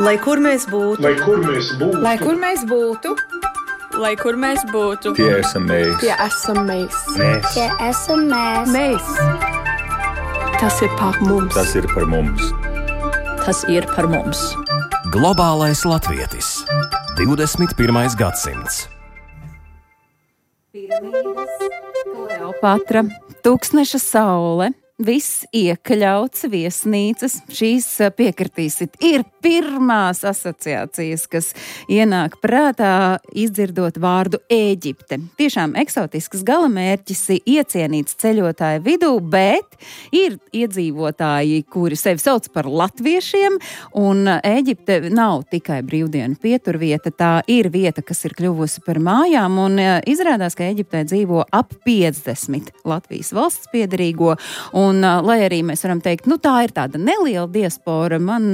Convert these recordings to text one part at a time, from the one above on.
Lai kur mēs būtu, Lai kur mēs būtu, Lai kur mēs būtu, Lai kur mēs būtu, Tie esam mēs. tie esam mēs. Tie esam mēs. Mēs. Tas ir par mums. Tas ir par mums. tas ir par mums. Globālais latvietis. 21. gadsimts. Piramīdas, Kleopatra, Tūkstneša saule, viss iekļauts, viesnīcas. Šīs piekritīsit ir pirmās asociācijas, kas ienāk prātā, izdzirdot vārdu Ēģipte. Tiešām eksotisks galamērķis, iecienīts ceļotāju vidū, bet ir iedzīvotāji, kuri sevi sauc par latviešiem, un Ēģipte nav tikai brīvdienu pieturvieta, tā ir vieta, kas ir kļuvusi par mājām, un izrādās, ka Ēģiptē dzīvo ap 50 Latvijas valsts piederīgo, un lai arī mēs varam teikt, tā ir tāda neliela diaspora, man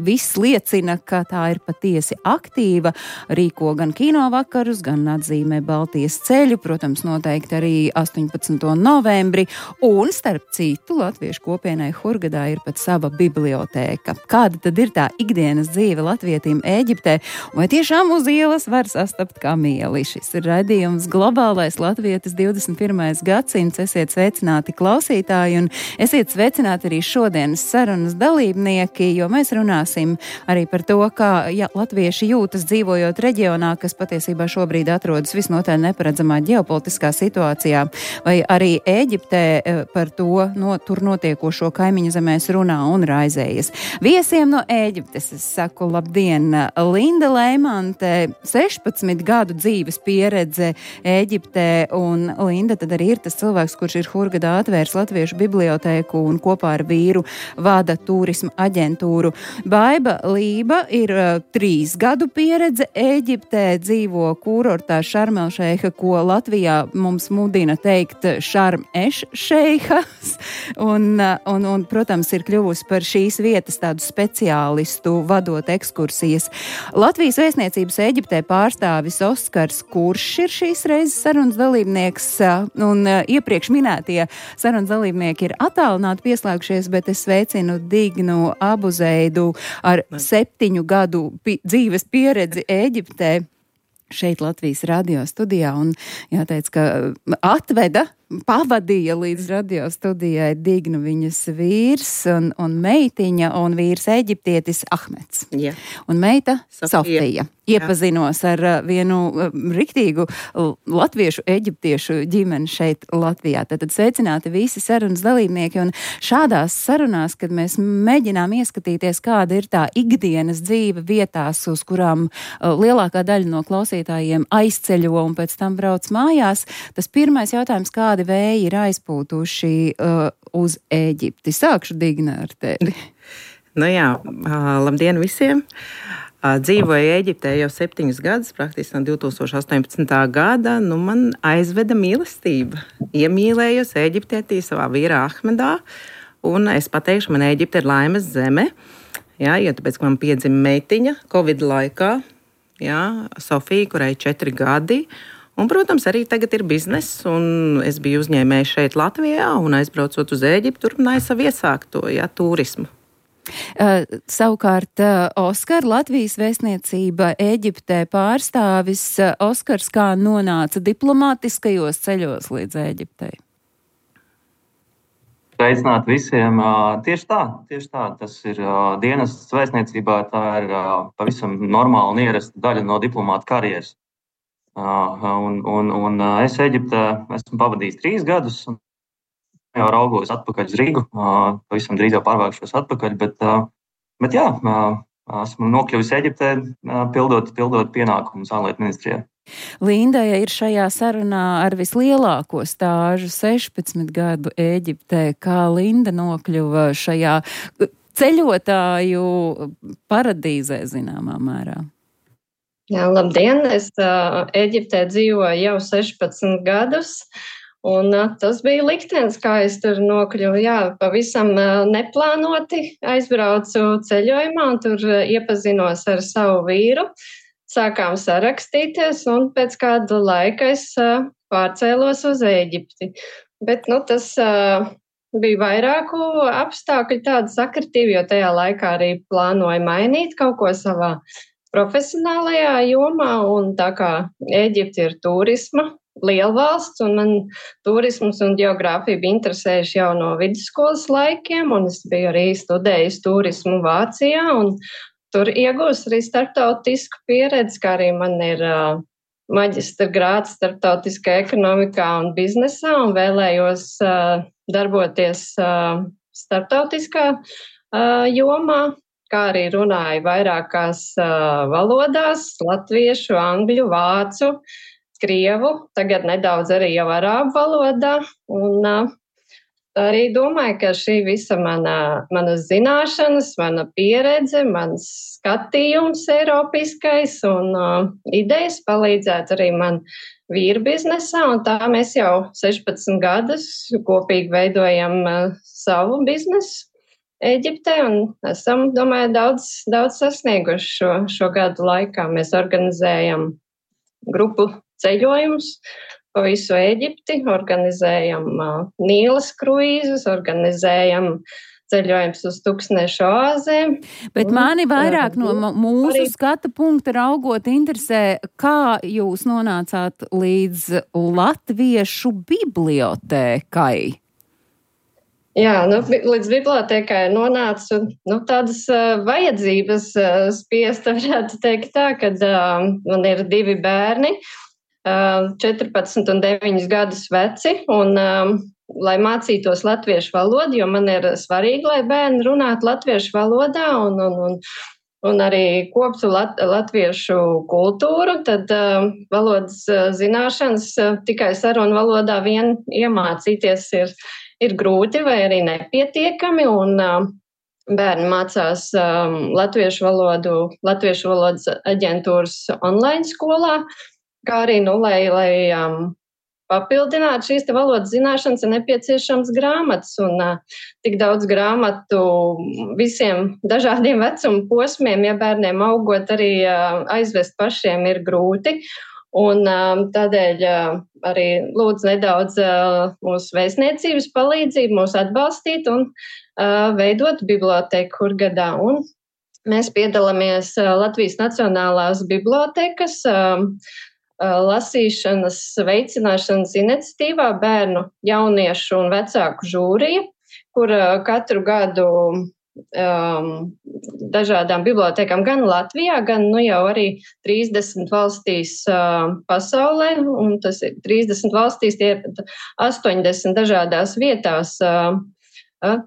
viss liecina, ka tā ir patiesi aktīva, rīko gan kinovvakarus, gan atzīmē Baltijas ceļu, protams, noteikti arī 18. novembri, un starp citu latviešu kopienai Hurgadā ir pat sava bibliotēka. Kāda tad ir tā ikdienas dzīve latvietim Ēģiptē, vai tiešām uz ielas var sastapt kamieli? Šis ir raidījums Globālais latvietis 21. gadsimts. Esiet sveicināti klausītāji, un esiet sveicināti arī šodienas sarunas dalībnieki, jo mēs runāsim arī par to, kā latvieši jūtas dzīvojot reģionā, kas patiesībā šobrīd atrodas visnotaļ neparedzamā ģeopolitiskā situācijā, vai arī Ēģiptē par to tur notiekošo kaimiņu zemēs runā un raizējas. Viesiem no Ēģiptes es saku labdien, Linda Leimante, 16 gadu dzīves pieredze Ēģiptē, un Linda tad arī ir tas cilvēks, kurš ir Hurgadā atvērs Latviešu bibliotēku un kopā ar vīru vada turisma aģentūru. Baiba Lība ir 3 gadu pieredze Ēģiptē, dzīvo kurortā Šarmelšeiha, ko Latvijā mums mudina teikt Šarm-eš-šeihas, un, protams, ir kļuvusi par šīs vietas tādu speciālistu, vadot ekskursijas. Latvijas vēstniecības Ēģiptē pārstāvis Oskars Kuršs ir šīs reizes sarunas dalībnieks, un iepriekš minētie sarunas dalībnieki ir attālināti pieslēgušies, bet es sveicinu Dignu Abuzeidu ar 7 gadu dzīves pieredzi Ēģiptē šeit Latvijas radio studijā, un jāteic, ka pavadīja līdz radio studijai Dignu viņas vīrs un meitiņa, un vīrs eģiptietis Ahmeds. Jā. Un meita Sofija. Iepazinos ar vienu riktīgu latviešu eģiptiešu ģimeni šeit Latvijā. Tad sveicināti visi sarunas dalībnieki, un šādās sarunās, kad mēs mēģinām ieskatīties, kāda ir tā ikdienas dzīve vietās, uz kurām lielākā daļa no klausītājiem aizceļo un pēc tam brauc mājās, tas pirmais jautājums, kādi vēji ir aizpūtuši uz Ēģipti. Sākšu Digna ar tevi. Labdien visiem! Dzīvoju Ēģiptē jau 7 gadus, praktiski no 2018. gada. Man aizveda mīlestība. Iemīlējos Ēģiptietī savā vīrā Ahmedā, un es pateikšu, man Ēģipte ir laimes zeme, jo tāpēc, ka man piedzima meitiņa Covid laikā, Sofija, kurai 4 gadi, un, protams, arī tagad ir bizness, un es biju uzņēmējs šeit Latvijā, un aizbraucot uz Ēģiptu, turpināju savu iesākto, turismu. Savukārt, Oskar, Latvijas vēstniecība Ēģiptē pārstāvis. Oskars, kā nonāca diplomātiskajos ceļos līdz Ēģiptei? Sveicināt visiem. Tieši tā. Tas ir dienests vēstniecībā, tā ir pavisam normāla un ierasta daļa no diplomāta karjeras. Un es Ēģiptē esmu pavadījis 3 gadus, un jau raugos atpakaļ uz Rīgu, pavisam drīz jau pārvākšos atpakaļ, bet jā, esmu nokļuvis Ēģiptē, pildot pienākumus ārlietu ministrijā. Linda ir šajā sarunā ar vislielāko stāžu 16 gadu Ēģiptē. Kā Linda nokļuva šajā ceļotāju paradīzē zināmā mērā? Jā, labdien! Es Ēģiptē dzīvoju jau 16 gadus. Un tas bija liktenis, kā es tur nokļuvu. Jā, pavisam neplānoti aizbraucu ceļojumā un tur iepazinos ar savu vīru. Sākām sarakstīties un pēc kāda laika es pārcēlos uz Ēģipti. Bet tas bija vairāku apstākļu tāda sakritība, jo tajā laikā arī plānoja mainīt kaut ko savā profesionālajā jomā, un tā kā Ēģipte ir turisma liela valsts, un man turisms un geogrāfija bija interesējuši jau no vidusskolas laikiem, un es biju arī studējis turismu Vācijā, un tur iegūst arī starptautisku pieredzi, kā arī man ir maģistra grāds starptautiskā ekonomikā un biznesā, un vēlējos darboties starptautiskā jomā, kā arī runāju vairākās valodās - latviešu, angļu, vācu, krievu, tagad nedaudz arī jau arābu valodā, un arī domāju, ka šī visa manas zināšanas, mana pieredze, mans skatījums eiropiskais un idejas palīdzētu arī man vīru biznesā, un tā mēs jau 16 gadus kopīgi veidojam savu biznesu Ēģiptē, un esam, domāju, daudz sasnieguši šo gadu laikā. Mēs organizējam grupu ceļojumus pa visu Ēģipti, organizējam Nīlas kruīzus, organizējam ceļojums uz tūkstnešu oāzēm. Bet mani vairāk no mūsu skata punkta raugot interesē, kā jūs nonācāt līdz latviešu bibliotēkai? Jā, līdz bibliotēkai nonācu tādas vajadzības spiesta, varētu teikt tā, kad man ir 2 bērni, 14 un 9 gadus veci, un lai mācītos latviešu valodu, jo man ir svarīgi, lai bērni runātu latviešu valodā un arī koptu latviešu kultūru, tad valodas zināšanas tikai sarunu valodā vien iemācīties ir grūti vai arī nepietiekami, un bērni mācās latviešu valodas aģentūras online skolā, kā arī, lai papildinātu šīs valodas zināšanas, ir nepieciešams grāmatas, un tik daudz grāmatu visiem dažādiem vecuma posmiem, ja bērniem augot arī aizvest pašiem ir grūti. Un tādēļ arī lūdzu nedaudz mūsu vēstniecības palīdzību, mūs atbalstīt un veidot bibliotēku Hurgadā. Un mēs piedalāmies Latvijas Nacionālās bibliotēkas lasīšanas veicināšanas iniciatīvā bērnu, jauniešu un vecāku žūrija, kur katru gadu dažādām bibliotēkām gan Latvijā, gan jau arī 30 valstīs pasaulē, un tas ir 30 valstīs, tie ir 80 dažādās vietās,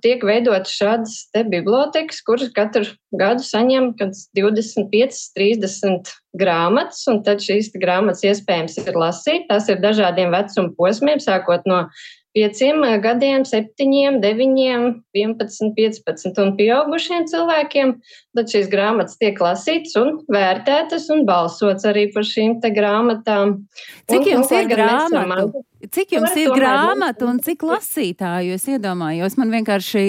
tiek veidotas šādas te bibliotēkas, kuras katru gadu saņem 25-30 grāmatas, un tad šīs grāmatas iespējams ir lasīt. Tās ir dažādiem vecuma posmiem, sākot no 5 gadiem, 7, 9, 11, 15 un pieaugušiem cilvēkiem, tad šīs grāmatas tiek lasītas un vērtētas un balsots arī par šīm te grāmatām. Cik jums ir grāmatu? Cik jums ir grāmatu un cik lasītāju? Es iedomājos, man vienkārši,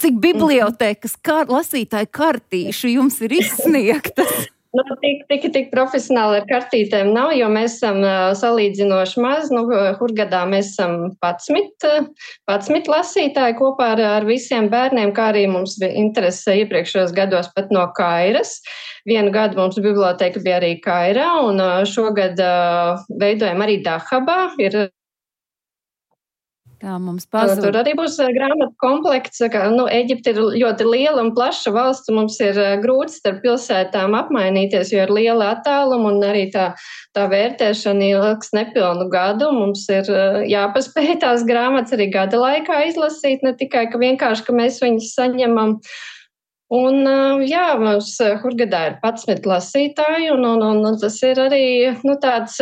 cik bibliotēkas lasītāju kartīšu jums ir izsniegtas? Tik profesionāli ar kartītēm nav, jo mēs esam salīdzinoši maz. Hurgadā mēs esam 11 lasītāji kopā ar visiem bērniem, kā arī mums bija interese iepriekšējos gados pat no Kairas. Vienu gadu mums biblioteka bija arī Kairā, un šogad veidojam arī Dahabā. Tā mums pazūd. Tur arī būs grāmatu komplekts. Ēģipte ir ļoti liela un plaša valsts, un mums ir grūti starp pilsētām apmainīties, jo ir liela attāluma, un arī tā vērtēšana ilgs nepilnu gadu. Mums ir jāpaspēj tās grāmatas arī gada laikā izlasīt, ne tikai, ka vienkārši, ka mēs viņus saņemam. Un mums Hurgadā ir 11 lasītāji, un tas ir arī tāds...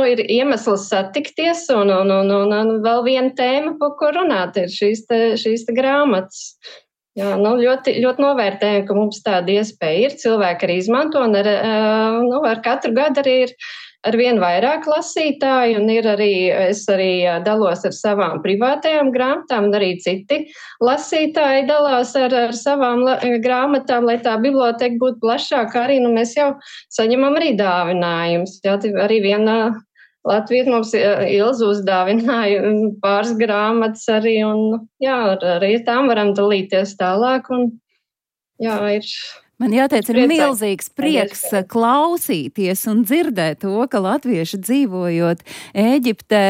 ir iemesls satikties, un vēl viena tēma, par ko runāt, ir šīs te grāmatas. Jā, ļoti, ļoti novērtējam, ka mums tāda iespēja ir. Cilvēki arī izmanto, un ar katru gadu arī ir ar vien vairāk lasītāju, un es arī dalos ar savām privātajām grāmatām, un arī citi lasītāji dalās ar savām grāmatām, lai tā biblioteka būtu plašāka. Arī mēs jau saņemam arī dāvinājumus. Jā, arī viena Latvijas mums Ilza uzdāvināja pāris grāmatas arī, un jā, arī tām varam dalīties tālāk, un jā, ir... Man jāteic, ir milzīgs prieks klausīties un dzirdēt to, ka latvieši dzīvojot Ēģiptē,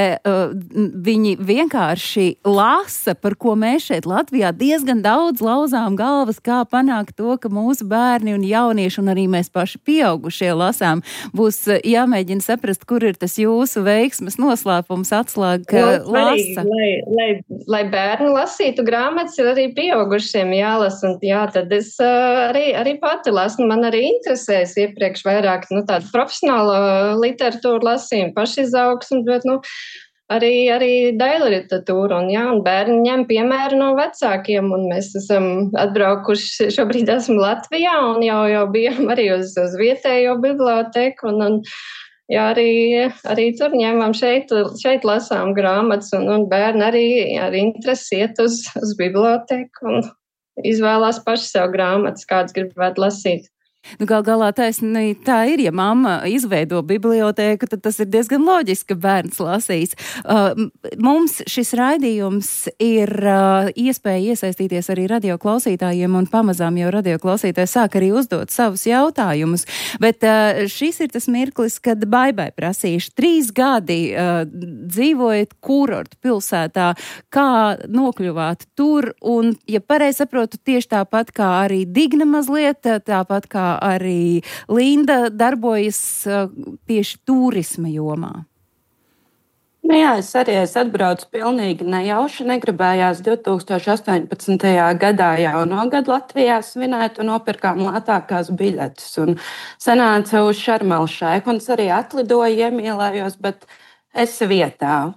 viņi vienkārši lasa, par ko mēs šeit Latvijā diezgan daudz lauzām galvas, kā panākt to, ka mūsu bērni un jaunieši un arī mēs paši pieaugušie lasām. Būs jāmēģina saprast, kur ir tas jūsu veiksmes noslēpums, atslēga lasa. Lai bērni lasītu grāmatas, ir arī pieaugušiem jālasa, un jā, tad es arī pati lasu. Man arī interesēs iepriekš vairāk tādu profesionālo literatūru lasījumu, pašizaugsmu, bet arī daļu literatūru. Un bērni ņem piemēru no vecākiem, un mēs esam atbraukuši, šobrīd esmu Latvijā, un jau bijām arī uz vietējo biblioteku, un jā, arī tur ņemam šeit lasām grāmatas, un bērni arī ar interesi iet uz biblioteku un izvēlās paši sev grāmatas, kādas gribētu lasīt. Gal galā tā ir, ja mamma izveido bibliotēku, tad tas ir diezgan loģiski, ka bērns lasīs. Mums šis raidījums ir iespēja iesaistīties arī radioklausītājiem, un pamazām jau radioklausītāji sāk arī uzdot savus jautājumus. Bet šis ir tas mirklis, kad Baibai prasīšu 3 gadi dzīvojat kurortu pilsētā, kā nokļuvāt tur, un, ja pareizi saprotu, tieši tāpat kā arī Digna mazliet, tāpat kā arī Linda darbojas tieši turisma jomā. Jā, es atbraucu pilnīgi nejauši, negribējās 2018. gadā jauno gadu Latvijā svinēt un nopirkām lētākās biļetes. Un sanāca uz Šarm el Šeiku, un es arī atlidoju, iemīlējos, bet es vietā.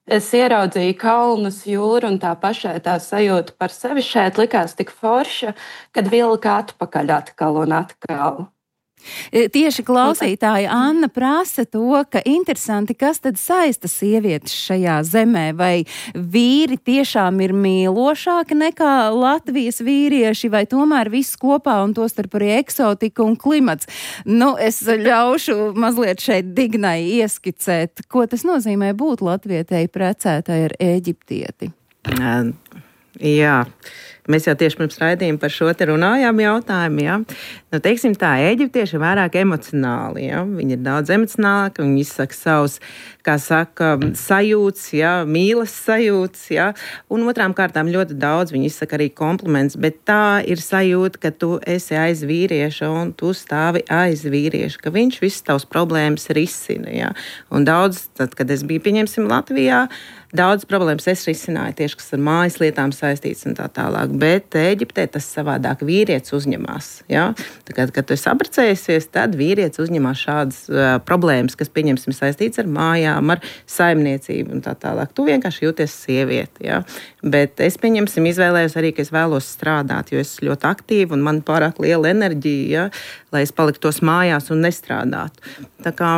Es ieraudzīju kalnus, jūru, un tā pašai tā sajūta par sevi šeit likās tik forša, kad vilka atpakaļ atkal un atkal. Tieši klausītāja Anna prasa to, ka interesanti, kas tad saista sievietes šajā zemē, vai vīri tiešām ir mīlošāki nekā Latvijas vīrieši, vai tomēr viss kopā un tostarp arī eksotika un klimats. Es ļaušu mazliet šeit Dignai ieskicēt, ko tas nozīmē būt latvietei precētai ar eģiptieti. Jā. Mēs jau tieši pirms raidījuma par šo te runājām jautājumu, jā. Teiksim tā, eģiptieši ir vairāk emocionāli, jā. Viņi ir daudz emocionālāki, viņi izsaka savus, kā saka, sajūtas, jā, mīlas sajūtas, jā. Un otrām kārtām ļoti daudz viņi izsaka arī kompliments, bet tā ir sajūta, ka tu esi aiz vīrieša un tu stāvi aiz vīrieša, ka viņš visas tavas problēmas risina, jā. Un daudz, tad, kad es biju, pieņemsim, Latvijā, daudz problēmas es risināju tieši, kas ar mājas lietām saistīts un tā tālāk. Bet Ēģiptē tas savādāk vīrietis uzņemās. Ja? Kad tu esi apprecējusies, tad vīrietis uzņemās šādas problēmas, kas, pieņemsim, saistīts ar mājām, ar saimniecību un tā tālāk. Tu vienkārši jūties sievieti. Ja? Bet es, pieņemsim, izvēlējos arī, ka es vēlos strādāt, jo es ļoti aktīvi un man pārāk liela enerģija, ja? Lai es paliktos mājās un nestrādātu. Tā kā,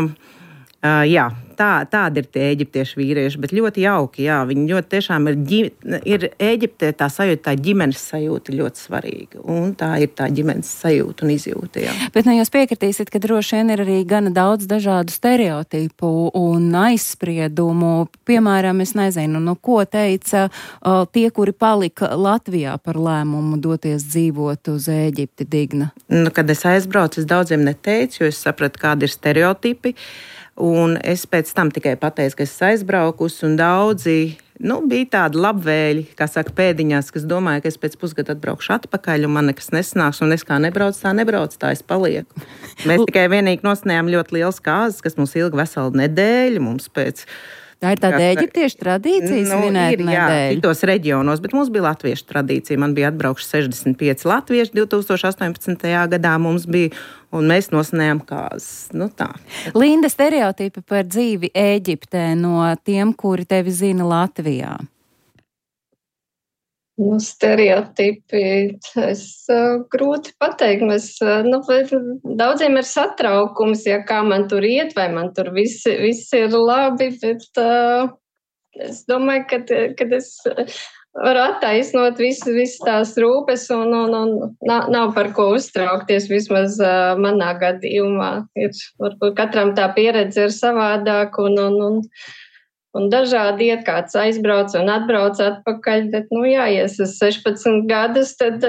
jā. Tādi ir tie eģiptiešu vīrieši, bet ļoti jauki, jā, viņi ļoti tiešām ir Ēģiptē tā sajūta, tā ģimenes sajūta ļoti svarīga, un tā ir tā ģimenes sajūta un izjūta, jā. Bet jūs piekritīsiet, ka droši vien ir arī gana daudz dažādu stereotipu un aizspriedumu, piemēram, es nezinu, ko teica tie, kuri palika Latvijā par lēmumu doties dzīvot uz Ēģipti, Digna? Kad es aizbraucu, es daudziem neteicu, jo es sapratu, kādi ir stereotipi. Un es pēc tam tikai pateicu, ka es aizbraukusi, un daudzi bija tādi labvēļi, kā saka, pēdiņās, kas domāja, ka es pēc pusgada atbraukšu atpakaļ, un man nekas nesanāks, un es kā nebraucu, tā es palieku. Mēs tikai vienīgi nosnējām ļoti liels kāzas, kas mums ilga veselu nedēļu, mums pēc... Tā ir tāda eģiptiešu tradīcija svinēt nedēļu. Jā, šitos reģionos, bet mums bija latviešu tradīcija. Man bija atbraukši 65 latvieši 2018. gadā mums bija, un mēs nosnējām kāzas. Tā. Linda, stereotipi par dzīvi Ēģiptē no tiem, kuri tevi zina Latvijā? Stereotipi, grūti pateikt. Daudziem ir satraukums, ja kā man tur iet, vai man tur viss ir labi, bet es domāju, ka es var attaisnot visas tās rūpes un nav par ko uztraukties, vismaz manā gadījumā. Varbūt katram tā pieredze ir savādāk un dažādi iet, kāds aizbrauc un atbrauc atpakaļ, bet, ja es esmu 16 gadus, tad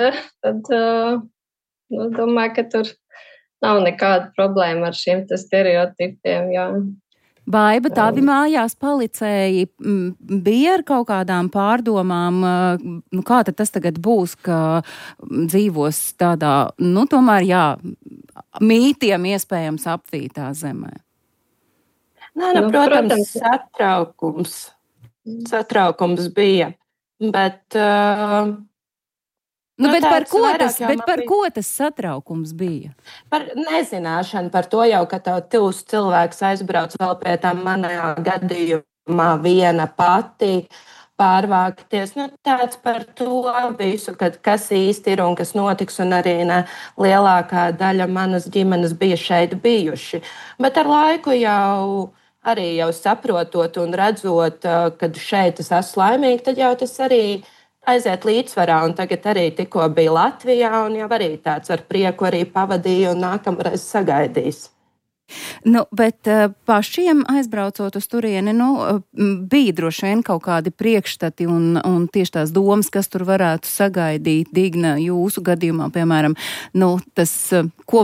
domāju, ka tur nav nekāda problēma ar šiem stereotipiem, jā. Baiba, tavi mājās palicēji bija ar kaut kādām pārdomām, kā tad tas tagad būs, ka dzīvos tādā, tomēr, jā, mītiem iespējams apvītā zemē? Protams, satraukums bija, bet... bet par ko tas satraukums bija? Par nezināšanu, par to jau, ka tev tuvs cilvēks aizbrauc vēl pie tam manā gadījumā viena pati pārvākties. Tāds par to visu, kas īsti ir un kas notiks, un arī lielākā daļa manas ģimenes bija šeit bijuši. Bet ar laiku jau saprotot un redzot, kad šeit es esmu laimīga, tad jau tas arī aiziet līdzsvarā, un tagad arī tikko bija Latvijā, un jau arī tāds ar prieku arī pavadīju un nākamreiz sagaidīs. Bet pašiem aizbraucot uz turieni, bija droši vien kaut kādi priekšstati un tieši tās domas, kas tur varētu sagaidīt. Digna, jūsu gadījumā, piemēram, tas, ko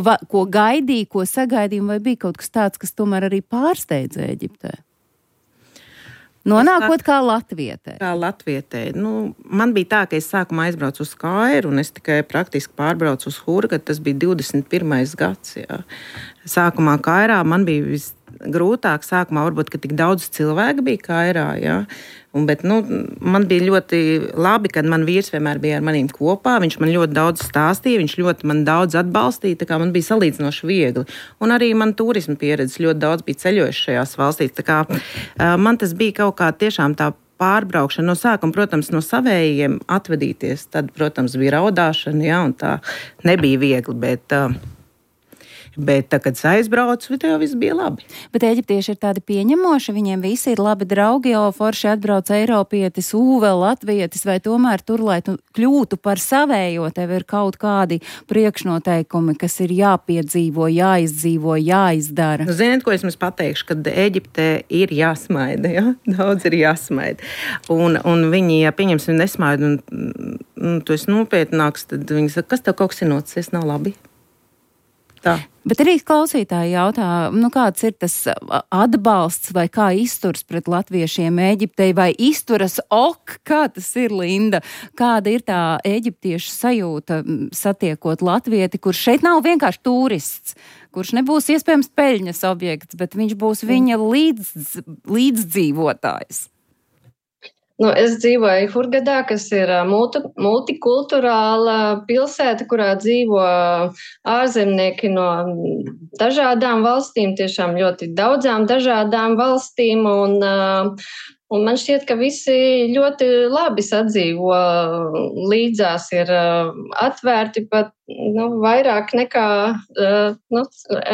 gaidīja, ko sagaidīja, vai bija kaut kas tāds, kas tomēr arī pārsteidza Ēģiptē? Nonākot kā latvietē. Kā latvietē. Man bija tā, ka es sākumā aizbraucu uz Kairu un es tikai praktiski pārbraucu uz Hurgadu. Tas bija 21. gads. Jā. Sākumā Kairā man bija visgrūtāk. Sākumā varbūt, ka tik daudz cilvēku bija Kairā. Jā. Bet man bija ļoti labi, kad man vīrs vienmēr bija ar maniem kopā. Viņš man ļoti daudz stāstīja, viņš ļoti man daudz atbalstīja, tā kā man bija salīdzinoši viegli. Un arī man turisma pieredze ļoti daudz bija ceļojuši šajās valstīs. Tā kā man tas bija kaut kā tiešām tā pārbraukšana no sākuma, protams, no savējiem atvadīties. Tad, protams, bija raudāšana, jā, un tā nebija viegli, bet tā, kad es aizbraucu, tev viss bija labi. Bet eģiptieši ir tādi pieņemoši, viņiem visi ir labi draugi, jo forši atbrauc eiropietis, vēl latvietis, vai tomēr tur, lai tu kļūtu par savējo, tev ir kaut kādi priekšnoteikumi, kas ir jāpiedzīvo, jāizdzīvo, jāizdara. Ziniet, ko es jums pateikšu, kad Ēģiptē ir jāsmaida, ja? Daudz ir jāsmaida. Un viņi, ja pieņemsim nesmaida, un tu esi nopietnāks, tad viņi saka, kas tev kaut kas ir noticis, nav labi? Tā. Bet arī klausītāji jautā, kāds ir tas atbalsts vai kā izturs pret latviešiem Ēģiptei, vai izturas kā tas ir, Linda? Kāda ir tā ēģiptiešu sajūta satiekot latvieti, kurš šeit nav vienkārši turists, kurš nebūs iespējams peļņas objekts, bet viņš būs viņa līdzdzīvotājs? Es dzīvoju Hurgadā, kas ir multikulturāla pilsēta, kurā dzīvo ārzemnieki no dažādām valstīm, tiešām ļoti daudzām dažādām valstīm, un man šķiet, ka visi ļoti labi sadzīvo līdzās, ir atvērti pat vairāk nekā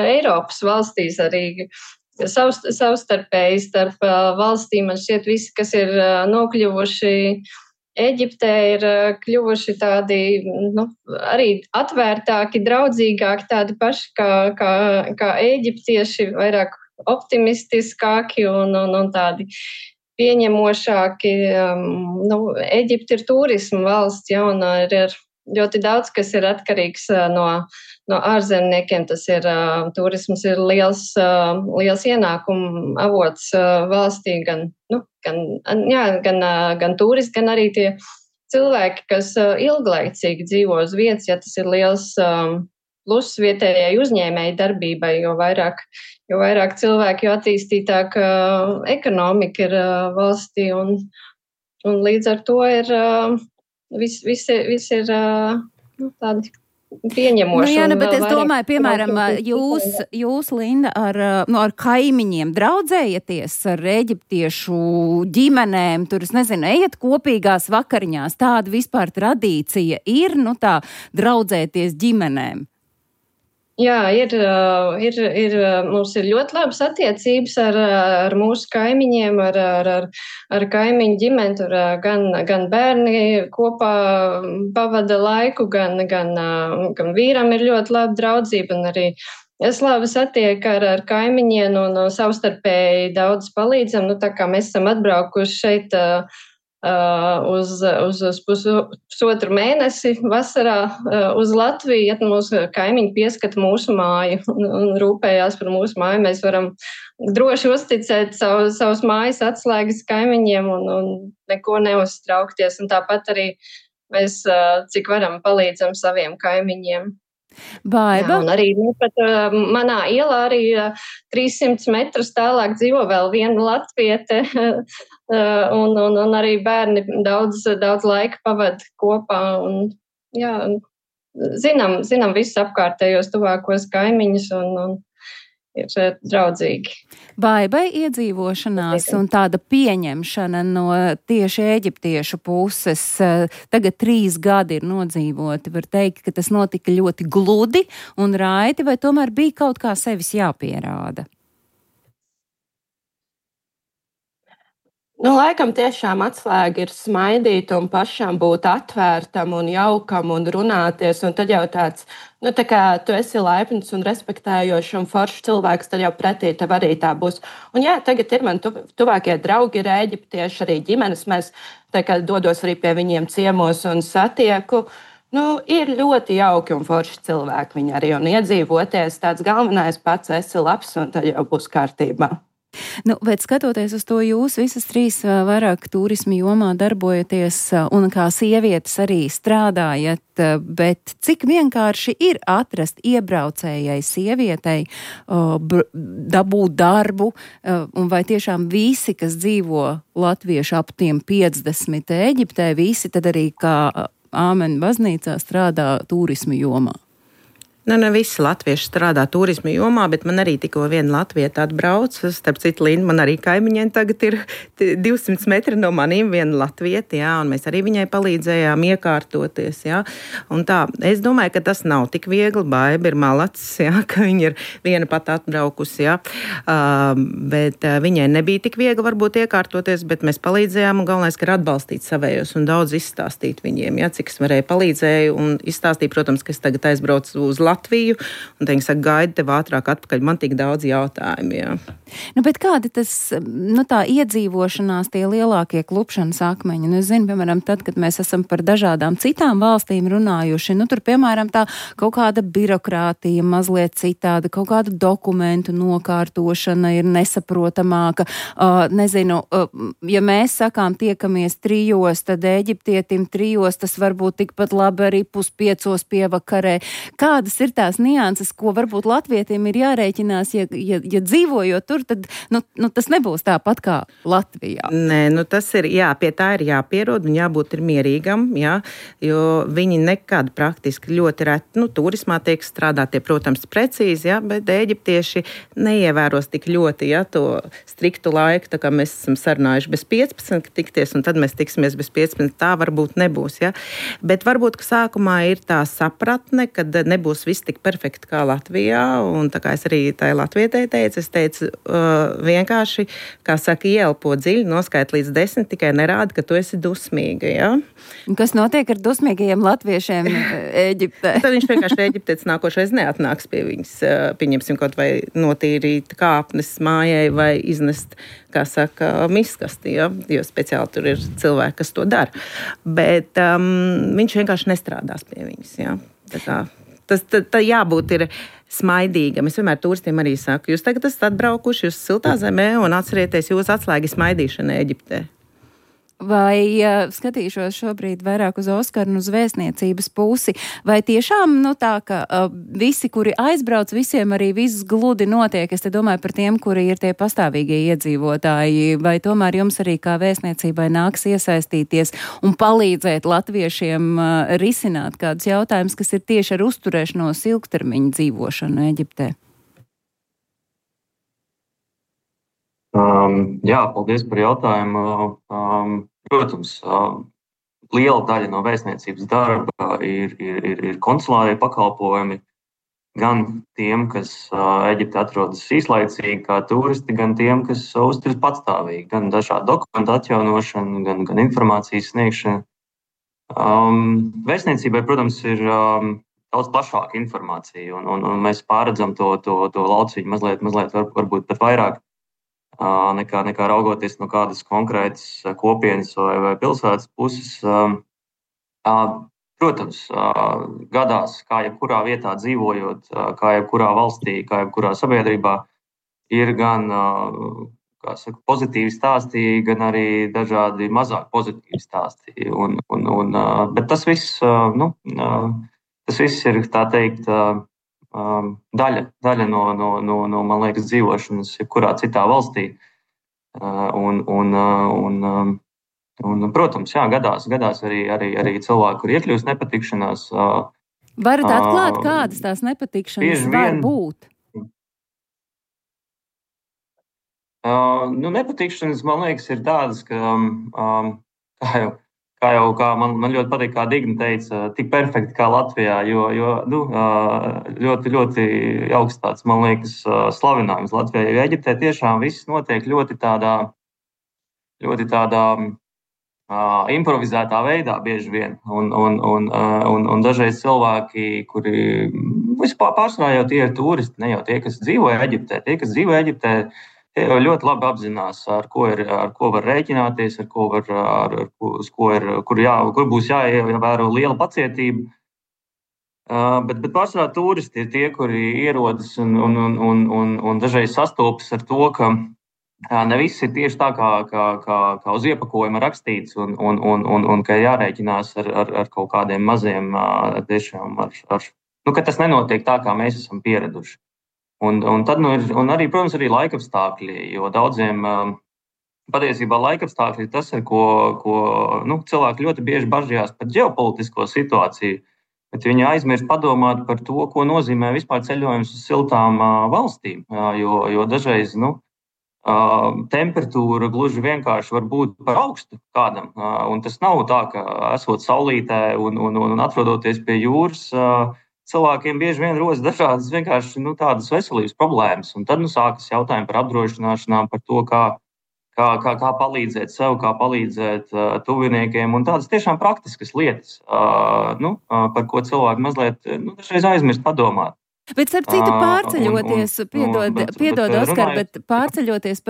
Eiropas valstīs arī. Savstarpēji starp valstīm, man šķiet, visi, kas ir nokļuvuši Ēģiptē, ir kļuvuši tādi arī atvērtāki, draudzīgāki, tādi paši kā ēģiptieši, vairāk optimistiskāki un tādi pieņemošāki. Ēģipte ir turisma valsts, ja, un ir ļoti daudz, kas ir atkarīgs no ārzemniekiem. Tas ir turisms ir liels ienākumu avots valstī, gan turisti, gan arī tie cilvēki, kas ilglaicīgi dzīvo uz vietas, ja tas ir liels pluss vietējai uzņēmēji darbībai, jo vairāk cilvēki, jo attīstītāk ekonomika ir valstī, un līdz ar to ir viss ir tādi pieņemoši. Bet es domāju, piemēram, jūs Linda, ar kaimiņiem draudzējaties ar eģiptiešu ģimenēm, tur, es nezinu, ejat kopīgās vakariņās, tāda vispār tradīcija ir, tā draudzēties ģimenēm? Jā, mums ir ļoti labas attiecības ar mūsu kaimiņiem, ar kaimiņu ģimeni. Tur gan bērni kopā pavada laiku, gan vīram ir ļoti laba draudzība, un arī es labi satieku ar kaimiņiem un savstarpēji daudz palīdzam. Tā kā mēs esam atbraukuši šeit uz pusotru mēnesi vasarā uz Latviju, ja mūsu kaimiņi pieskata mūsu māju un rūpējās par mūsu māju. Mēs varam droši uzticēt savus mājas atslēgas kaimiņiem un neko neuztraukties. Un tāpat arī mēs, cik varam, palīdzam saviem kaimiņiem. Baiba. Jā, un arī pat manā ielā arī 300 metrus tālāk dzīvo vēl viena latviete, un arī bērni daudz laika pavada kopā. Un, jā, zinām visus apkārtējos tuvākos kaimiņus un ir draudzīgi. Baibai iedzīvošanās un tāda pieņemšana no tieši eģiptiešu puses. Tagad 3 gadi ir nodzīvoti. Var teikt, ka tas notika ļoti gludi un raiti, vai tomēr bija kaut kā sevis jāpierāda? Laikam tiešām atslēga ir smaidīt un pašam būt atvērtam un jaukam un runāties. Un tad jau tāds, tā kā tu esi laipns un respektējošs un foršs cilvēks, tad jau pretī tev arī tā būs. Un jā, tagad ir man tuvākie draugi ir eģiptieši, arī ģimenes. Mēs dodos arī pie viņiem ciemos un satieku. Ir ļoti jauki un forši cilvēki viņi arī. Un iedzīvoties tāds galvenais pats esi labs un tad jau būs kārtībā. Bet skatoties uz to, jūs visas 3 vairāk turismu jomā darbojaties un kā sievietes arī strādājat, bet cik vienkārši ir atrast iebraucējai sievietei, dabūt darbu, un vai tiešām visi, kas dzīvo latvieši ap tiem 50 Eģiptē, visi tad arī kā Āmena baznīcā strādā turismu jomā? Ne visi latvieši strādā turisma jomā, bet man arī tikko viena latvieta atbrauc. Starp citu, Linda, man arī kaimiņiem tagad ir 200 metri no maniem viena latvieta, jā, un mēs arī viņai palīdzējām iekārtoties, jā. Un tā, es domāju, ka tas nav tik viegli. Baiba ir malacis, jā, ka viņa ir viena pat atbraukusi, jā. Bet viņai nebija tik viegli varbūt iekārtoties, bet mēs palīdzējām, un galvenais, ka ir atbalstīt savējos un daudz izstāstīt viņiem, jā, cik es varēju palīdzēju un izstāstīju, protams, ka es tagad aizbraucu uz Latviju, un viņi saka, gaidi tev ātrāk atpakaļ, man tik daudz jautājumu, jā. Bet kādi tas, tā iedzīvošanās, tie lielākie klupšanas akmeņi? Es zinu, piemēram, tad, kad mēs esam par dažādām citām valstīm runājuši, tur, piemēram, tā kaut kāda birokrātija mazliet citāda, kaut kāda dokumentu nokārtošana ir nesaprotamāka. Nezinu, ja mēs sakām tiekamies 3, tad Eģiptietim 3, tas varbūt tikpat labi arī 4:30 pievakarē. Kādas ir tās nianses, ko varbūt latvietim ir jārēķinās, ja dzīvojot tur, tad tas nebūs tāpat kā Latvijā? Nē, tas ir, jā, pie tā ir jāpierod un jābūt ir mierīgam, jā, jo viņi nekad praktiski ļoti reti, turismā tiek strādātie, protams, precīzi, jā, bet eģiptieši neievēros tik ļoti, jā, to striktu laiku, tā kā mēs esam sarunājuši bez 15 tikties, un tad mēs tiksimies bez 15, tā varbūt nebūs, jā. Bet varbūt, ka sākumā ir tā sapratne, kad nebūs viss tik perfekti kā Latvijā, un tā kā es arī tai latvietei teicu, es teicu vienkārši, kā saka, ieelpo dziļi, noskait līdz 10, tikai nerāda, ka tu esi dusmīga, jā. Un kas notiek ar dusmīgajiem latviešiem Eģiptē? Tad viņš vienkārši eģiptietis nākošais neatnāks pie viņas, pieņemsim kaut vai notīrīt kāpnes mājai vai iznest, kā saka, miskasti, ja? Jo speciāli tur ir cilvēki, kas to dara. Bet viņš vienkārši nestrādās pie viņas, ja? Tas jābūt ir smaidīgam. Es vienmēr turistiem arī saku, jūs tagad esat atbraukuši uz siltā zemē un atcerieties, jūs atslēgas smaidīšana Eģiptē. Vai skatīšos šobrīd vairāk uz Oskaru un uz vēstniecības pusi, vai tiešām tā, ka visi, kuri aizbrauc, visiem arī viss gludi notiek? Es te domāju par tiem, kuri ir tie pastāvīgie iedzīvotāji, vai tomēr jums arī kā vēstniecībai nāks iesaistīties un palīdzēt latviešiem risināt kādus jautājumus, kas ir tieši ar uzturēšanos ilgtermiņa dzīvošanu Eģiptē? Jā, paldies par jautājumu. Protams, liela daļa no vēstniecības darba ir konsulārie pakalpojumi, gan tiem, kas Eģiptē atrodas īslaicīgi kā turisti, gan tiem, kas uzturas patstāvīgi, gan dažādu dokumentu atjaunošanu, gan informācijas sniegšanu. Vēstniecībai, protams, ir daudz plašāka informācija, un mēs pārredzam to lauciņu mazliet varbūt pat vairāk nekā raugoties no kādas konkrētas kopienas vai pilsētas puses. Protams, gadās, kā jebkurā vietā dzīvojot, kā jebkurā valstī, kā jebkurā sabiedrībā, ir gan pozitīvi stāstī, gan arī dažādi mazāk pozitīvi stāstī. Bet tas viss ir, tā teikt, daļa no man liekas, dzīvošanas jebkurā citā valstī. Protams, jā, gadās arī cilvēki, kur iekļūst nepatikšanās. Varat atklāt, kādas tās nepatikšanas var būt? Nepatikšanas, man liekas, ir tādas, ka, kā man ļoti patīk, kā Digna teica, tik perfekti kā Latvijā, jo ļoti, ļoti augsts tāds, man liekas, slavinājums Latvijā. Jo Eģiptē tiešām viss notiek ļoti tādā improvizētā veidā bieži vien. Un dažreiz cilvēki, kuri vispār pārsvarā jau tie ir turisti, ne jau tie, kas dzīvo Eģiptē. Tie, kas dzīvo Eģiptē, tie jau ļoti labi apzinās, ar ko var rēķināties, kur būs jāievēro liela pacietība. Bet pārsvarā turisti ir tie, kuri ierodas un dažreiz sastopas ar to, ka ne viss ir tieši tā, kā uz iepakojuma rakstīts, un ka jārēķinās ar kaut kādiem maziem, tiešām ka tas nenotiek tā, kā mēs esam pieraduši. Un tad, arī, protams, arī laikapstākļi, jo daudziem patiesībā laikapstākļi ir tas, ar ko cilvēki ļoti bieži bažījās par ģeopolitisko situāciju, bet viņi aizmirst padomāt par to, ko nozīmē vispār ceļojums uz siltām valstīm, jo dažreiz, temperatūra gluži vienkārši var būt par augstu kādam, un tas nav tā, ka esot saulītē un atrodoties pie jūras, cilvēkiem bieži vien rodas dažādas vienkārši tādas veselības problēmas, un tad sākas jautājumi par apdrošināšanām, par to, kā palīdzēt sev, kā palīdzēt tuviniekiem, un tādas tiešām praktiskas lietas, par ko cilvēki mazliet dažreiz aizmirst padomāt. Bet, starp citu, pārceļoties, piedod, Oskar, bet pārceļoties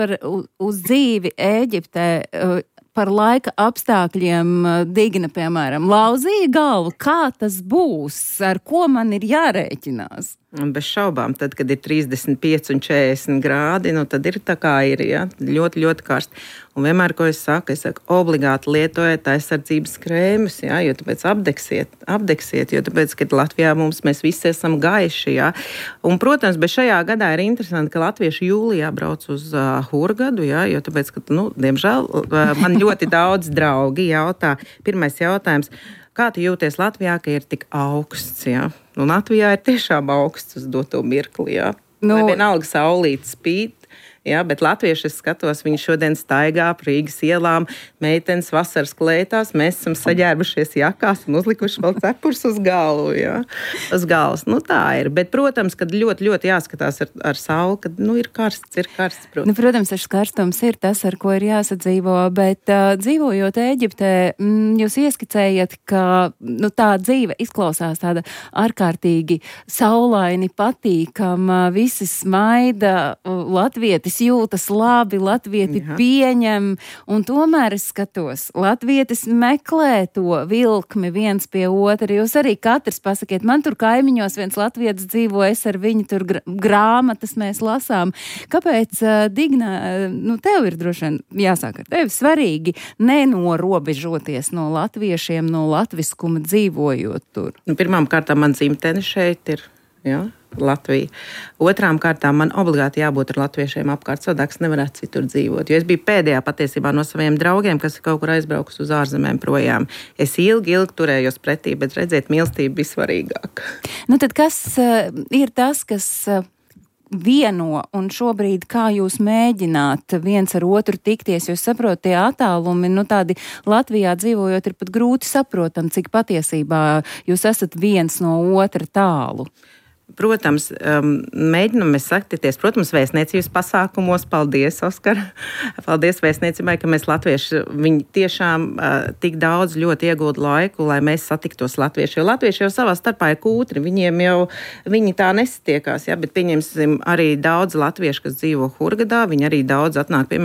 uz dzīvi Ēģiptē, par laika apstākļiem, Digna, piemēram, lauzīja galvu, kā tas būs, ar ko man ir jārēķinās? Bez šaubām, tad, kad ir 35 un 40 grādi, tad ir tā kā ir, ja? Ļoti, ļoti karsti. Un vienmēr, ko es saku, obligāti lietojiet aizsardzības krēmus, ja? Jo tāpēc apdegsiet, jo tāpēc, kad Latvijā mēs visi esam gaiši, ja? Un, protams, bet šajā gadā ir interesanti, ka latvieši jūlijā brauc uz Hurgadu, ja? Jo tāpēc, ka, diemžēl, man ļoti daudz draugi jautā. Pirmais jautājums. Kā tu jūties Latvijā, ka ir tik augsts? Ja? Latvijā ir tiešām augsts uz doto mirkli. Ja? Vienalga saulīt spīd. Ja, bet latvieši, es skatos, viņi šodien staigā pa Rīgas ielām, meitenes vasaras klētās, mēs esam saģērbušies jakās un uzlikuši vēl cepurs uz galvu, ja, uz galvas. Tā ir, bet, protams, kad ļoti, ļoti jāskatās ar sauli, kad, ir karsts, protams. Protams, karstums ir tas, ar ko ir jāsadzīvo, bet dzīvojot Ēģiptē, jūs ieskicējat, ka, tā dzīve izklausās tāda ārkārtīgi saulaini, patīkama, visi smaida, latvieti jūtas labi, latvieti pieņem, un tomēr es skatos, latvietis meklē to vilkmi viens pie otra. Jūs arī katrs pasakiet, man tur kaimiņos viens latvietis dzīvo, es ar viņu tur grāmatas mēs lasām. Kāpēc, Digna, tev ir droši vien jāsāk ar tevi svarīgi nenorobežoties no latviešiem, no latviskuma dzīvojot tur? Pirmām kārtām man dzimtene šeit ir, jā. Latvija. Otrām kārtām man obligāti jābūt ar latviešiem apkārt, savādāk es nevarētu citur dzīvot. Jo es biju pēdējā patiesībā no saviem draugiem, kas ir kaut kur aizbraukus uz ārzemēm projām. Es ilgi turējos pretī, bet redziet, mīlestība bija svarīgāka. Tad kas ir tas, kas vieno, un šobrīd kā jūs mēģināt viens ar otru tikties, jo saprot, tie attālumi, tādi Latvijā dzīvojot ir pat grūti saprotam, cik patiesībā jūs esat viens no otra tālu. protams, mēģinam mēs satikties, protams, vēstniecības pasākumos. Paldies, Oskar! Paldies vēstniecībai, ka mēs latvieši, viņi tiešām tik daudz ļoti iegūda laiku, lai mēs satiktos latvieši. Jo latvieši jau savā starpā ir kūtri, viņi tā nesatiekās, ja, bet pieņemsim arī daudz latviešu, kas dzīvo Hurgadā, viņi arī daudz atnāk pie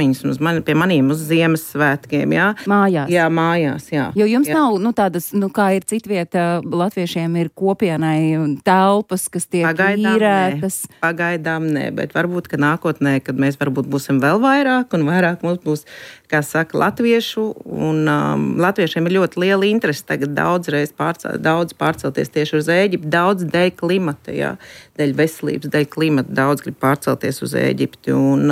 maniem uz Ziemassvētkiem, jā. Mājās. Jā, mājās, jā. Jo jums nav, tādas, kā ir citvieta, latviešiem ir kopienai telpas, kas tiek īrētas. Pagaidām nē, bet varbūt, ka nākotnē, kad mēs varbūt būsim vēl vairāk un vairāk mums būs, kā saka, latviešu, un latviešiem ir ļoti liela interese tagad daudz pārcelties tieši uz Ēģipti, daudz dēļ klimata, jā, dēļ veselības, dēļ klimata, daudz grib pārcelties uz Ēģipti, un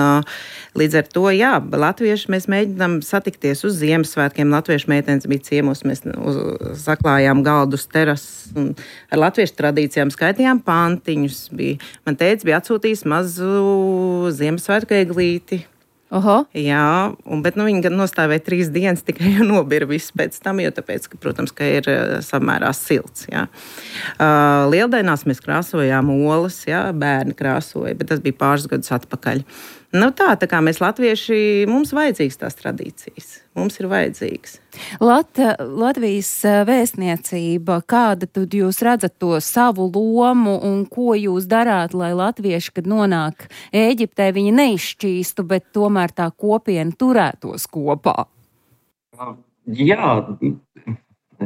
līdz ar to, jā, latvieši mēs mēģinām satikties uz Ziemassvētkiem, latviešu meitenes bija ciemos, mēs saklājām galdu uz terases, un ar latviešu tradīcijām skaitījām pantiņus, man tētis bija atsūtījis mazu Ziemassvētku eglīti. Oho. Jā, bet viņi gan nostāvēja 3 dienas, tikai jau nobira viss pēc tam, jo tāpēc, ka, protams, ka ir samērā silts, jā. Lieldienās mēs krāsojām olas, jā, bērni krāsoja, bet tas bija pāris gadus atpakaļ. Tā kā mēs latvieši, mums vajadzīgs tās tradīcijas. Mums ir vajadzīgs. Latvijas vēstniecība, kāda tad jūs redzat to savu lomu un ko jūs darāt, lai latvieši, kad nonāk Ēģiptē, viņi neizšķīstu, bet tomēr tā kopiena turētos kopā? Jā,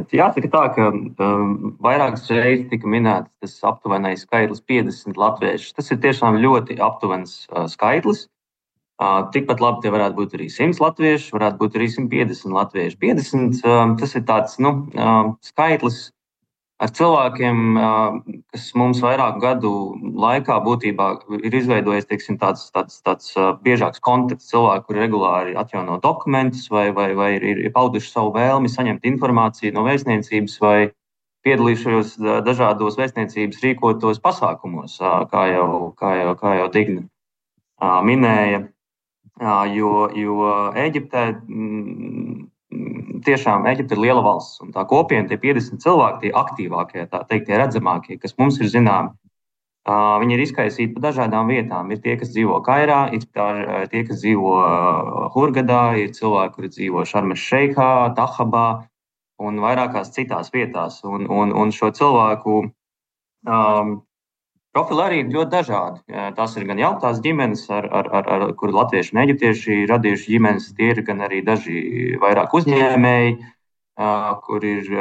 jāsaka tā, ka vairākas reizes tika minēts tas aptuvenais skaitlis 50 latvieši. Tas ir tiešām ļoti aptuvens skaitlis. Tikpat labi tie varētu būt arī 100 latvieši, varētu būt arī 150 latvieši. 50 tas ir tāds skaitlis ar cilvēkiem, kas mums vairāku gadu laikā būtībā ir izveidojies, teiksim, tāds biežāks kontakts, cilvēki, kuri regulāri atjauno dokumentus vai ir pauduši savu vēlmi saņemt informāciju no vēstniecības vai piedalījušos dažādos vēstniecības rīkotos pasākumos, kā jau Digna minēja. Jo Ēģiptē tiešām Ēģipte ir liela valsts, un tā kopiena, tie 50 cilvēki, tie aktīvākie, tā teikt, tie redzamākie, kas mums ir zināmi, viņi ir izkaisīti pa dažādām vietām. Ir tie, kas dzīvo Kairā, ir tie, kas dzīvo Hurgadā, ir cilvēki, kuri dzīvo Šarmes Šeikhā, Tahabā un vairākās citās vietās. Un šo cilvēku profili arī ir ļoti dažādi. Tās ir gan jautās ģimenes, kur latvieši un eģiptieši radījuši ģimenes, tie ir gan arī daži vairāk uzņēmēji, kur ir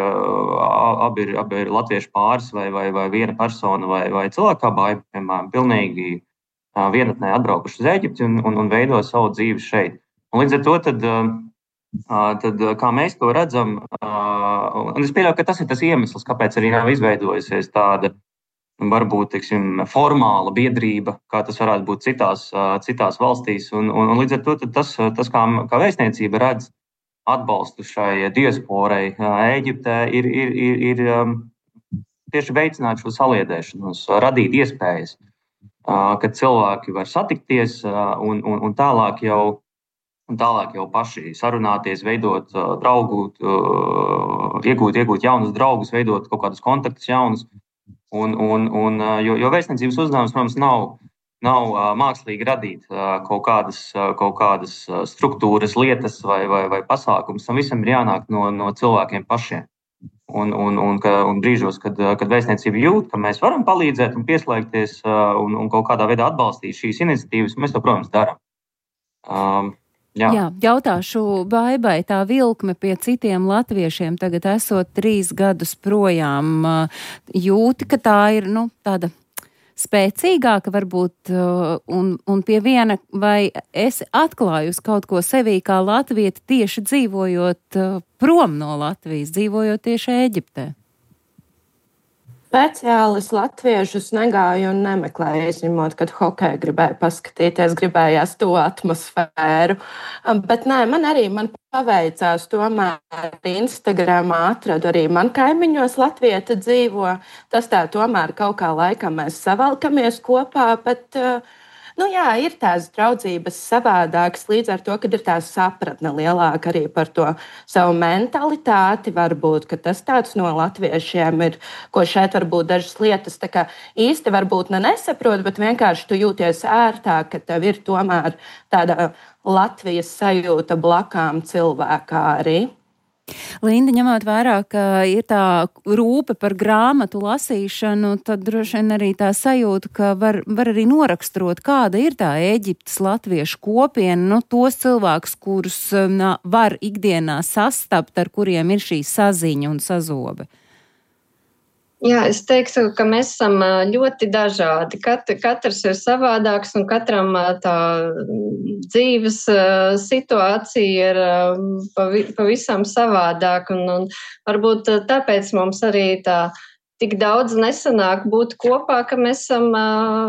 abi ir latviešu pāris vai viena persona vai cilvēka bāja, piemēram, pilnīgi vienatnē atbraukuši uz Ēģipti un veido savu dzīvi šeit. Un līdz ar to tad kā mēs to redzam, un es pieļauju, ka tas ir tas iemesls, kāpēc arī nav izveidojusies tāda varbūt, teiksim, formāla biedrība, kā tas varētu būt citās valstīs. Un līdz ar to tas kā vēstniecība redz atbalstu šai diasporai Ēģiptē, ir tieši veicināt šo saliedēšanos, radīt iespējas, kad cilvēki var satikties un tālāk jau paši sarunāties, veidot draugu, iegūt jaunus draugus, veidot kaut kādus kontaktus jaunus. Jo vēstniecības uzdevums, protams, nav mākslīgi radīt kaut kādas struktūras, lietas vai pasākumus. Tam visam ir jānāk no cilvēkiem pašiem. Un brīžos, kad vēstniecība jūt, ka mēs varam palīdzēt un pieslēgties un kaut kādā veidā atbalstīt šīs iniciatīvas, mēs to, protams, darām. Jā, jautāšu Baibai, tā vilkme pie citiem latviešiem tagad esot 3 gadus projām, jūti, ka tā ir, tāda spēcīgāka varbūt, un pie viena, vai esi atklājusi kaut ko sevī kā latvieti tieši dzīvojot prom no Latvijas, dzīvojot tieši Ēģiptē? Speciālis latviešus negāju un nemeklēju, izņemot, kad hokeju gribēju paskatīties, gribējās to atmosfēru. Bet nē, man paveicās tomēr Instagramā atradu arī man kaimiņos latvieta dzīvo. Tas tā tomēr kaut kā laikam mēs savalkamies kopā, bet Jā, ir tās draudzības savādākas, līdz ar to, kad ir tā sapratne lielāka arī par to savu mentalitāti. Varbūt tas tāds no latviešiem ir, ko šeit varbūt dažas lietas tā kā īsti varbūt nesaprot, bet vienkārši tu jūties ērtāk, ka tev ir tomēr tāda Latvijas sajūta blakām cilvēkā arī. Linda, ņemot vērā, ka ir tā rūpe par grāmatu lasīšanu, tad droši vien arī tā sajūta, ka var arī noraksturot, kāda ir tā Ēģiptes latviešu kopiena, tos cilvēkus, kurus var ikdienā sastapt, ar kuriem ir šī saziņa un sazobe. Jā, es teiktu, ka mēs esam ļoti dažādi. Katrs ir savādāks un katram tā dzīves situācija ir pavisam savādāk. Un varbūt tāpēc mums arī tā tik daudz nesanāk būt kopā, ka mēs esam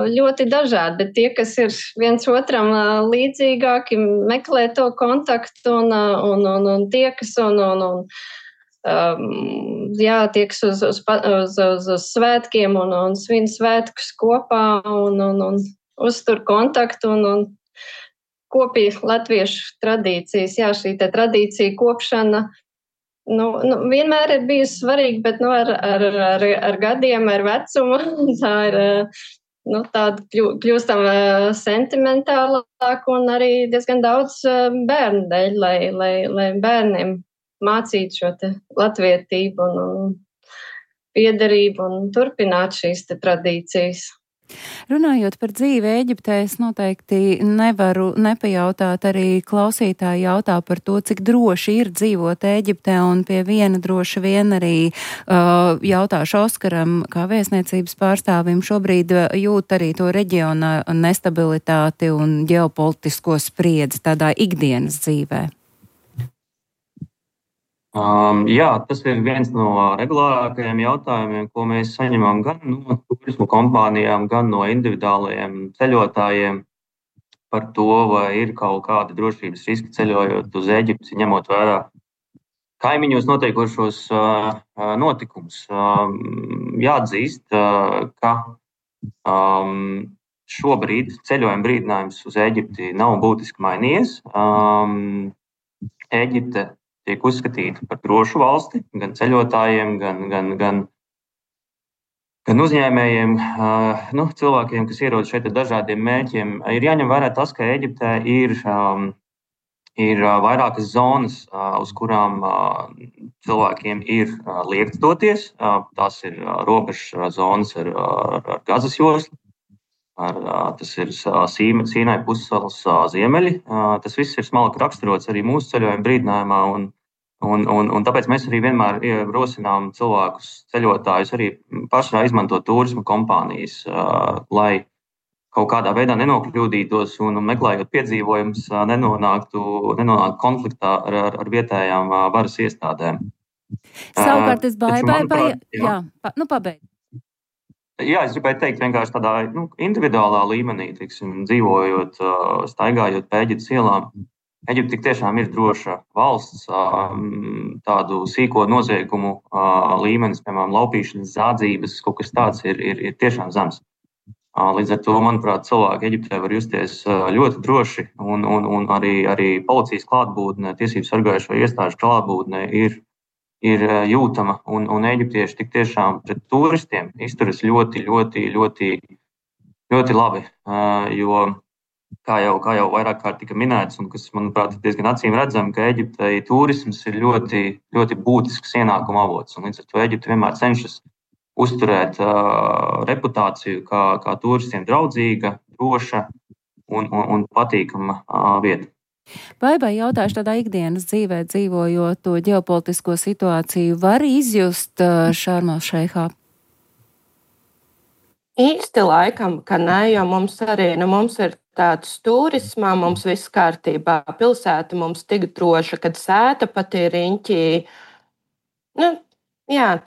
ļoti dažādi. Bet tie, kas ir viens otram līdzīgāki, meklē to kontaktu un tiekas tieks uz svētkiem un svin svētkus kopā un uztur kontaktu un kopī latviešu tradīcijas. Jā, šī te tradīcija kopšana vienmēr ir bijusi svarīga, bet ar gadiem, ar vecumu tā ir tāda kļūstam sentimentālāk un arī diezgan daudz bērnu dēļ, lai bērniem mācīt šo te latvietību un piederību un turpināt šīs te tradīcijas. Runājot par dzīvi Ēģiptē, es noteikti nevaru nepajautāt, arī klausītāji jautā par to, cik droši ir dzīvot Ēģiptē, un pie viena droši vien arī jautāšu Oskaram, kā vēstniecības pārstāvim, šobrīd jūt arī to reģiona nestabilitāti un ģeopolitisko spriedzi tādā ikdienas dzīvē. Jā, tas ir viens no regulārākajiem jautājumiem, ko mēs saņemam gan no turismu kompānijām, gan no individuālajiem ceļotājiem par to, vai ir kaut kādi drošības riski ceļojot uz Ēģipti, ņemot vērā kaimiņos notiekošos notikumus. Jāatzīst, ka šobrīd ceļojuma brīdinājums uz Ēģipti nav būtiski mainījies. Ēģipte tiek uzskatīta par drošu valsti, gan ceļotājiem, gan uzņēmējiem, cilvēkiem, kas ierodas šeit ar dažādiem mērķiem. Ir jāņem vērā tas, ka Ēģiptē ir vairākas zonas, uz kurām cilvēkiem ir liekts doties. Tās ir robežas zonas ar Gazas joslu. Tas ir Sīnai pussalas ziemeļi. Tas viss ir smalki raksturots arī mūsu ceļojuma brīdinājumā. Un tāpēc mēs arī vienmēr rosinām cilvēkus, ceļotājus arī pašā izmantot turisma kompānijas, lai kaut kādā veidā nenokļūdītos un meklējot piedzīvojumus, nenonāktu konfliktā ar vietējām varas iestādēm. Savukārt es pabeidzu. Jā, es gribēju teikt vienkārši tādā individuālā līmenī, dzīvojot, staigājot pa Ēģiptes ielām. Ēģipte tik tiešām ir droša valsts, tādu sīko noziegumu līmenis, piemēram, laupīšanas, zādzības, kaut kas tāds ir tiešām zems. Līdz ar to, manuprāt, cilvēki Ēģiptē var justies ļoti droši, un arī policijas klātbūtne, tiesību sargājušo iestāžu klātbūtne ir jūtama, un ēģiptieši tik tiešām pret turistiem izturas ļoti, ļoti, ļoti, ļoti labi, jo kā jau vairāk kārt tika minēts, un kas, manuprāt, ir diezgan acīm redzami, ka Ēģiptei turisms ir ļoti, ļoti būtisks ienākuma avots, un līdz ar to Ēģipte vienmēr cenšas uzturēt reputāciju kā turistiem draudzīga, droša un patīkama vieta. Vai jautāšu tādā ikdienas dzīvē dzīvojot to ģeopolitisko situāciju, var izjust Šarm el-Šeihā? Īsti laikam, ka nē, jo mums arī mums ir tāds turismā, mums viss kārtībā. Pilsēta mums tik droša, kad sēta pat ir riņķī.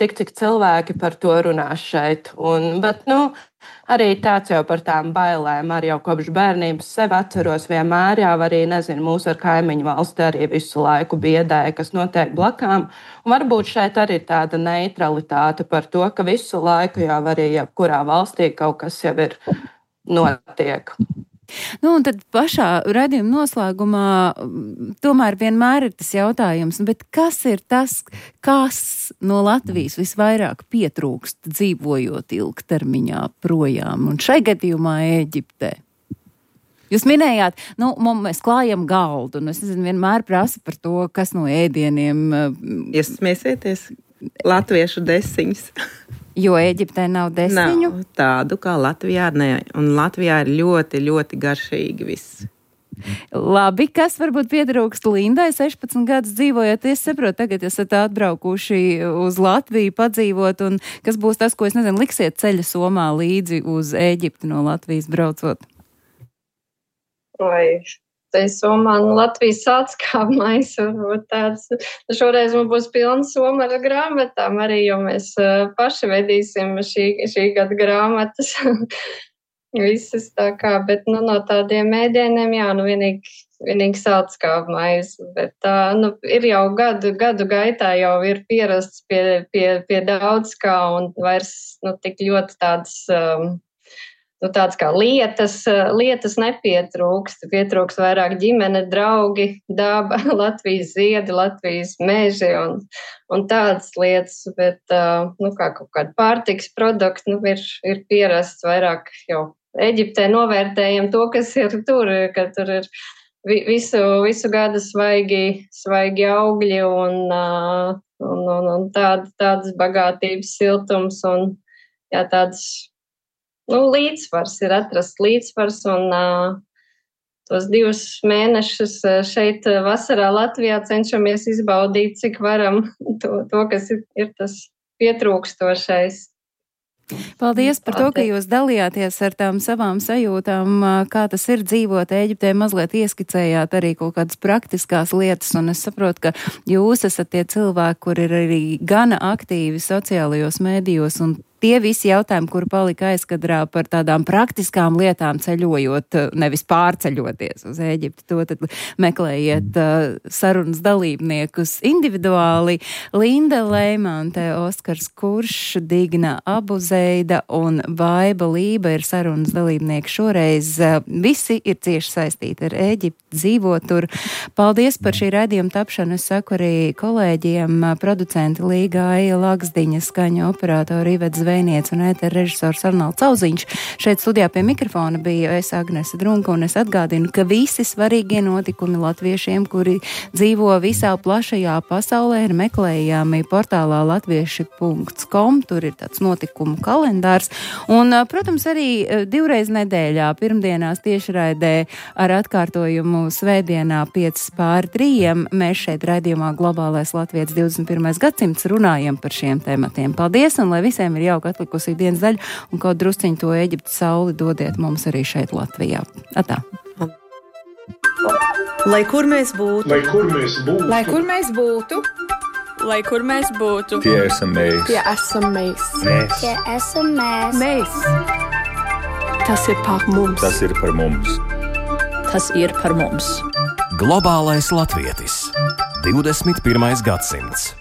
Tik cik cilvēki par to runā šeit. Bet arī tāds jau par tām bailēm. Arī jau kopš bērnības sev atceros vienmēr, jau arī, mūsu ar kaimiņu valsti arī visu laiku biedēja, kas notiek blakām. Un varbūt šeit arī tāda neutralitāte par to, ka visu laiku jau arī jebkurā valstī kaut kas jau ir notiek. Nu, un tad pašā raidījuma noslēgumā tomēr vienmēr ir tas jautājums, bet kas ir tas, kas no Latvijas visvairāk pietrūkst dzīvojot ilgtermiņā projām, un šai gadījumā Ēģiptē? Jūs minējāt, mēs klājam galdu, un es nezinu, vienmēr prasa par to, kas no ēdieniem. Jūs smēsieties latviešu desiņas. Jo Ēģiptē nav desiņu? Nav tādu kā Latvijā, ne. Un Latvijā ir ļoti, ļoti garšīgi viss. Labi, kas varbūt pietrūkst Lindai 16 gadus dzīvojot? Es saprotu, tagad esat atbraukuši uz Latviju padzīvot, un kas būs tas, ko es nezinu, liksiet ceļa somā līdzi uz Ēģipti no Latvijas braucot? Vai tai somā Latvijas atskāpmais, varbūt tāds. Šoreiz mums būs pilna soma ar grāmatām arī, jo mēs paši vedīsim šī gada grāmatas. Visas tā kā, bet no tādiem ēdieniem, vienīgi saltskāpmais. Bet ir jau gadu gaitā jau ir pierasts pie daudz kā un vairs tik ļoti tādas kā lietas nepietrūkst. Pietrūkst vairāk ģimene, draugi, daba, Latvijas ziedi, Latvijas meži un tādas lietas. Bet, kā kaut kāda pārtiks produkti, ir pierasts vairāk jau Eģiptē novērtējam to, kas ir tur, ka tur ir visu gadu svaigi augļi un tādas bagātības siltums un tādas līdzsvars ir atrasts līdzsvars un tos 2 mēnešus šeit vasarā Latvijā cenšamies izbaudīt, cik varam to kas ir tas pietrūkstošais. Paldies par to, ka jūs dalījāties ar tām savām sajūtām, kā tas ir dzīvot Ēģiptē, mazliet ieskicējāt arī kaut kādas praktiskās lietas, un es saprotu, ka jūs esat tie cilvēki, kur ir arī gana aktīvi sociālajos mēdījos, un tie visi jautājumi, kuri palika aizkadrā par tādām praktiskām lietām ceļojot, nevis pārceļoties uz Ēģipti, to tad meklējiet sarunas dalībniekus individuāli. Linda Leimante, Oskars Kurš, Digna Abuzeida un Vaiba Lība ir sarunas dalībnieki šoreiz. Visi ir cieši saistīti ar Ēģipti, dzīvo tur. Paldies par šī raidījuma tapšanu. Es saku arī kolēģiem, producenti Līga Aija Lagsdiņa, skaņa operatori Ivets Zvejniec un ētera režisors Arnolds Auziņš. Šeit studijā pie mikrofona bija es Agnese Drunka, un es atgādinu, ka visi svarīgie notikumi latviešiem, kuri dzīvo visā plašajā pasaulē, ir meklējami portālā latvieši.com. Tur ir tāds notikumu kalendārs. Un, protams, arī 2 reizes nedēļā, pirmdienās tiešraidē ar atkārtojumu svētdienā 5:03. Mēs šeit raidījumā Globālais Latvijas 21. gadsimts runājam par šiem tematiem. Paldies, un lai visiem ir jauka atlikusī dienas daļa, un kaut drusciņu to Eģiptes sauli dodiet mums arī šeit Latvijā. Atā. Lai kur mēs būtu, Lai kur mēs būtu, lai kur mēs būtu, lai kur mēs būtu, Tie esam mēs. tie esam mēs. Tie esam mēs. Mēs. Tas ir par mums. Tas ir par mums. tas ir par mums. Globālais latvietis. 21. gadsimts.